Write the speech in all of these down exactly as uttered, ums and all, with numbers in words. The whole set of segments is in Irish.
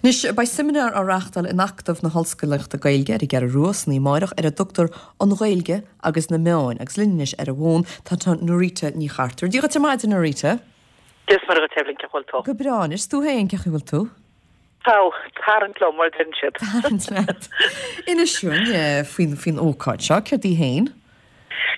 Anois, beidh seimineár á reáchtáil in Acadamh na hOllscolaíochta Gaeilge ar an gCeathrú Rua san oíche amárach ar a dtugtar An Ghaeilge agus na Meáin agus linn anois ar an bhfón tá tá Norita Ní Chartúir. Dia dhuit ar maidin Norita. Dia is Muire dhuit Evelyn cén chaoi a bhfuil tú. Go breá anois tú féin cén chaoi a bhfuil tú? Tá tarraingt liom mar a deireann siad. Tarraingt leat. Inis dúinn faoin faoin ócáid seo, céard í féin?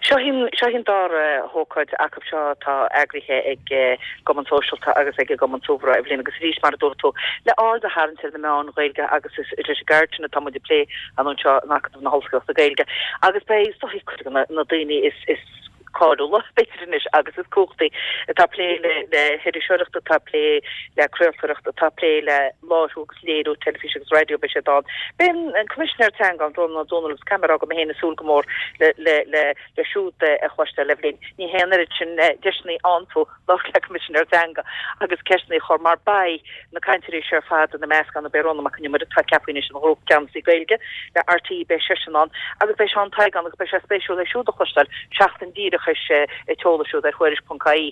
Seo í seo í an dara hócáid acu seo atá eagraithe ag an gCumann Sóisialta agus ag an gCumann Súgradh Evelyn agus arís mar a dúirt tú le aird a tharraingt ar na meáin Ghaeilge agus is leis an gceird sin atá muid ag plé anseo in Acadamh na hOllscolaíochta Gaeilge agus beidh is dóigh cuid de na daoine is is cáiliúla b'fhéidir anois agus is cumhachtaí atá ag plé le le hiriseoireacht atá ag plé le craoltóireacht atá ag plé le láithriú agus léiriú teilifíse agus raidió beidh siad ann. Beidh an Coimisinéir Teanga ann Rónán Ó Domhnaill agus caithfidh mé a rá go mé féin ag súil go mór le le le le siúd a chloisteáil Evelyn. Ní hé an oiread sin deiseanna a fhaigheann tú labhairt le Coimisinéir Teanga agus ceisteanna a chur mar beidh na cainteoirí seo ar fad ina measc ann beidh Rónán Mac Con Iomaire atá ceaptha anois ina Ghrúpcheannasaí Gaeilge le RTÉ beidh seisean ann agus beidh Seán Tadhg ann agus beidh sé spéisiúil é siúd a chloisteáil seachtain díreach théis an tseoladh siúd ar Thuairisc ponc ie.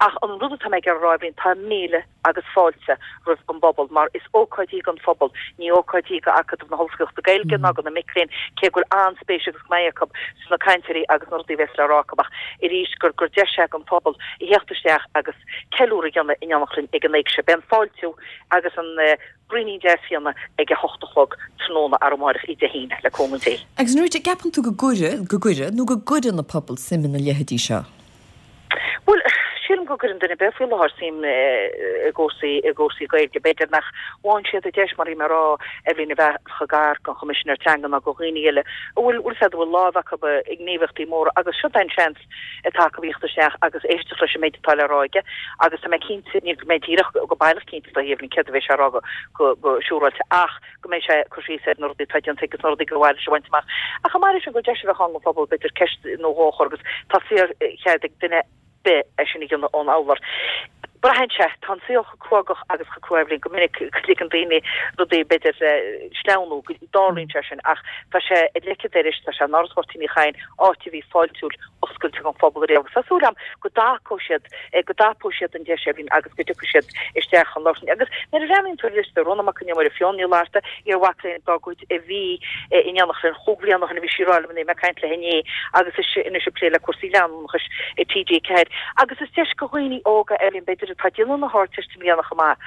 Ach an rud atá mé ag iarraidh a rá Evelyn tá míle agus fáilte roimh an bpobal mar is ócáid í don phobal, ní ócáid í do Acadamh na hOllscolaíochta Gaeilge ná do na mic léinn, cé go bhfuil an-spéis agus go mbeidh acu sna cainteoirí agus na rudaí a bheas le rá acu ach arís gur gur deis é don phobal a theacht isteach agus ceiliúradh a dhéanamh in éineacht linn ag an éigse. Beidh an fáiltiú agus an braoinín deas fíona ag a hocht a chlog tráthnóna arú amárach Dé hAoine, le cúnamh Dé. Agus Norita, gceapann tú go gcuireann, go gcuireann nó go gcuireann an pobal suim ina leithéidí seo? Bhuel, sílim go gcuireann duine ar bith faoi láthair suim i gcúrsaí i gcúrsaí Gaeilge. B'fhéidir nach bhfaigheann siad an deis mar a bhí mé ag rá Evelyn a bheith chomh gar don Choimisinéir Teanga ná do dhaoine eile a bhfuil bhfuil a bhfuil lámh acu i ngníomhaíochtaí móra agus seo é an seans atá acu theacht isteach agus éisteacht leis an méid atá le rá aige agus tá mé cinnte ní go mbeidh díreach go baileach cinnte do Evelyn céard a bheidh sé a rá go go go siúráilte ach go mbeidh sé ag cur síos ar na rudaí atá déanta agus na rudaí gur mhaith leis a bhaint amach. Ach chomh maith leis sin gur deis a bheadh ann don phobal b'fhéidir ceist nó dhó a chur agus tá saorchead ag duine ar bith é sin a dhéanamh ón urlár. Braitheann sé, tá an saol chomh cruógach agus chomh crua Evelyn go minic go ligeann daoine rudaí b'fhéidir sleamhnú, go dtarlaíonn sé sin ach tá sé ar leic an dorais, tá sé in Áras Mháirtín Uí Chadhain, áit a bhí fáiltiúil oscailte don phobal ariamh agus tá súil agam go dtacóidh siad, go dtapóidh siad an deis Evelyn agus go dtiocfaidh siad isteach chun labhairt linn. Agus nuair a bhreathnaíonn tú ar liosta, Rónán Mac Con Iomaire, Fiona Ní Fhlatharta, iar-mhac léinn dár gcuid a bhí in éineacht linn chúig bhliana ó shin a bhí sí ag rá liom inné, mé ag caint léi inné agus is anois ag plé le cúrsaí leanúnachais i TG Ceathair. Agus is deis do dhaoine óga Evelyn b'fhéidir atá ag déanamh na hArdteiste i mbliana chomh maith.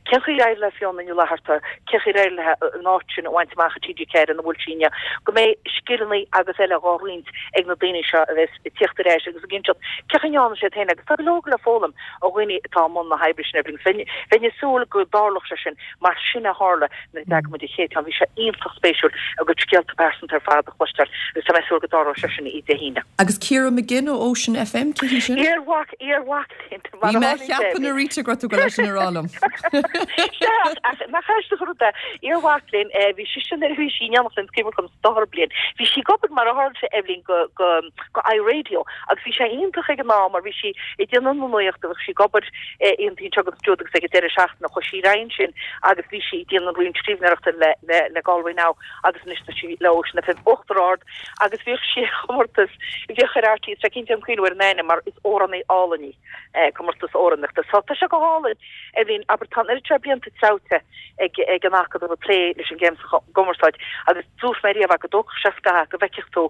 Cén chaoi ar éirigh le Fiona Ní Fhlatharta, cén chaoi ar éirigh léi an áit sin a bhaint amach i TG Ceathair ina bhfuil sí inniu, go mbeidh scileanna agus eile dhá roinnt ag na daoine seo a bheas ag tíocht ar ais agus ag inseacht cén chaoi a ndearna siad féin agus tá go leor le foghlaim ó dhaoine atá i mbun na hoibre sin Evelyn. Bheinn bheinn ag súil go dtarlódh sé sin mar sin a tharla nuair a d'eagraigh muid an chéad cheann. Bhí sé iontach spéisiúil a gcuid scéalta pearsanta ar fad a chloisteáil agus tá mé ag súil go dtarlóidh sé sin oíche Dé hAoine. Agus Ciara McGinn ó Ocean FM, cé hí sin? Iar-mhac iar-mhac léinn mar Bhí a mé ag tharlaíonn sé ceapadh Evelyn. Norita go raibh tú ag dul é sin a rá liom. Sea ach nach aisteach an rud é iar-mhac léinn bhí sise nuair a bhí sí in éineacht linn is cuimhin liom sa dara bliain. Bhí sí ag obair mar a tharla sé Evelyn go go go iRadio agus bhí sé iontach ag an am mar bhí sí ag déanamh na nuachta bhí sí ag obair oícheanta anseo agus ansiúd agus ag an deireadh seachtaine chuaigh sí ar aghaidh ansin agus bhí sí ag déanamh roinnt scríbhneoireachta le le le Galway Now agus anois tá sí le Ocean FM Uachtar Ard agus bhíodh sí ar chomórtas bhíodh ar RTÉ tá cinnte an cuimhneamh ar an ainm mar is amhránaí álainn í comórtas amhránaíochta so tá sé go hálainn Evelyn abair tá an oiread seo blianta treabhta ag ag an Acadamh ag plé leis an gcéim sa gcumarsáid agus dúirt mé riamh go dtógfadh sé scaitheamh go bhfeicfeadh tú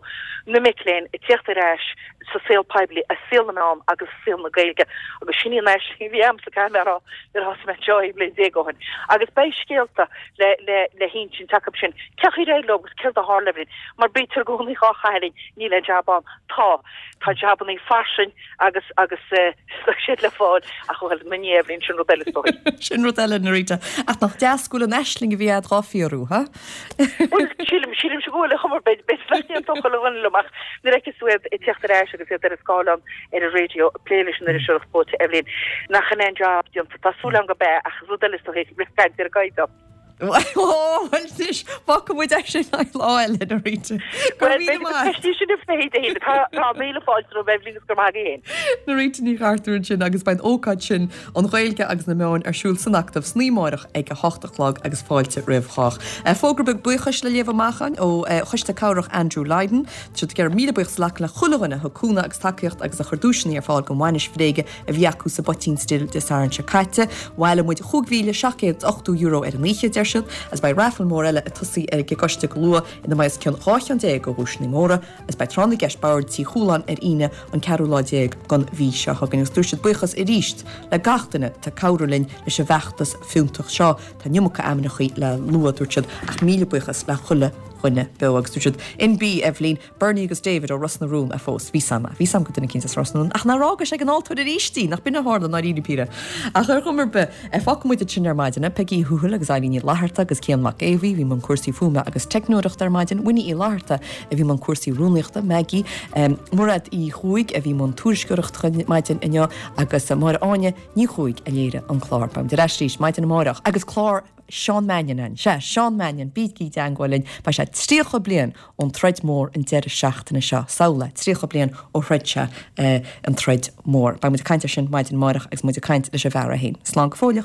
na mic léinn ag tíocht ar ais sa saol poiblí, i saol na meán agus i saol na Gaeilge agus sin í an aisling a bhí agamsa caithfidh mé a rá nuair a thosaigh mé anseo aon bhliain déag ó shin. Agus beidh scéalta le le le hinsint acu sin. Cén chaoi ar éirigh leo agus céard a tharla Evelyn? Mar bítear i gcónaí dhá chaitheamh linn, níl aon jab ann. Tá. Tá jabannaí fairsing agus agus tá siad le fáil ach bhuel mo Dhia Evelyn sin rud eile is dóigh. Sin rud eile Norita. Ach nach deas go bhfuil an aisling a bhí a'd dhá fíorú, ha? Bhuel sílim sílimse go bhfuil a chumar beidh beidh nach ndéantódh chuile dhuine liom ach nuair a fheiceas tú iad ag teacht ar ais agus iad ar an scáileán ar an raidió ag plé leis an iriseoireacht chlóite Evelyn nach in aon job déanta tá súil agam gurb ea ach rud eile is dóigh rith caint ar an gcaighdeán. Ó bhuel anois fágfaidh muid é sin le lá eile Norita. Go Bhuel raibh míle beidh maith. ceistí sin ag plé Dé hAoine. Tá tá míle fáilte romhat Evelyn agus go raibh maith agat féin. Norita Ní Chartúir ansin agus beidh an ócáid sin an Ghaeilge agus na meáin ar siúl san Acadamh san oíche amárach ag a hocht a chlog agus fáilte roimh chách. Fógra beag buíochais le léamh amach againn ó Choiste Cabhrach Andrew Lydon. Tá siad ag iarraidh míle buíochas a ghlacadh le chuile dhuine a thug cúnamh agus tacaíocht agus a chuir duaiseanna ar fáil don bhainis bhréige a bhí acu sa bPoitín Stil Dé Sathairn seo caite. Bhailigh muid chúig mhíle seacht gcéad is ochtó euro ar an oíche, deir siad, agus beidh raifil mór eile ag tosaí ag an gcoiste go luath ina mbeidh os cionn dhá cheann déag de dhuaiseanna móra agus beidh tráth na gceist boird Tí Chualáin ar Aoine an ceathrú lá déag den mhí seo chugainn agus dúirt siad buíochas arís le gach duine atá ag cabhrú linn leis an bhfeachtas fiúntach seo. Tá an iomarca ainmneachaí le lua, dúirt siad, ach míle buíochas le chuile dhuine beo agus dúirt siad N B Eibhlín, Bernie agus David ó Ros na Rún a phós. Bhí sam, bhí sam go duine eicínt as Ros na Rún ach nár fhágais ag an altóir arís í, nach b'in a tharla ndáiríre píre. Ach ar chuma ar bith, fágfaidh muid ansin ar maidin, Peigí Uí Thuathail agus Eileen Ní Fhlatharta agus Cian Mac Aodha Bhuí, bhí i mbun cúrsaí fuaime agus teicneoireachta ar maidin, Winnie Uí Fhlatharta a bhí i mbun cúrsaí rúnaíochta, Maggie, Mairéad Uí Chuaig a bhí i mbun tuairisceoireachta maidin inniu agus Máire Áine Ní Chuaig a léirigh an clár. Beimid ar ais arís maidin amárach agus clár Seán Mannion ann. Sea, Seán Mannion, bígí i dteangmháil linn, beidh sé tríocha bliain ón troid mhór an deireadh seachtaine seo. Samhlaigh, tríocha bliain ó throid sé an troid mhór. Beidh muid ag caint air sin maidin amárach agus muid ag caint leis an bhfear é féin. Slán go fóilleach.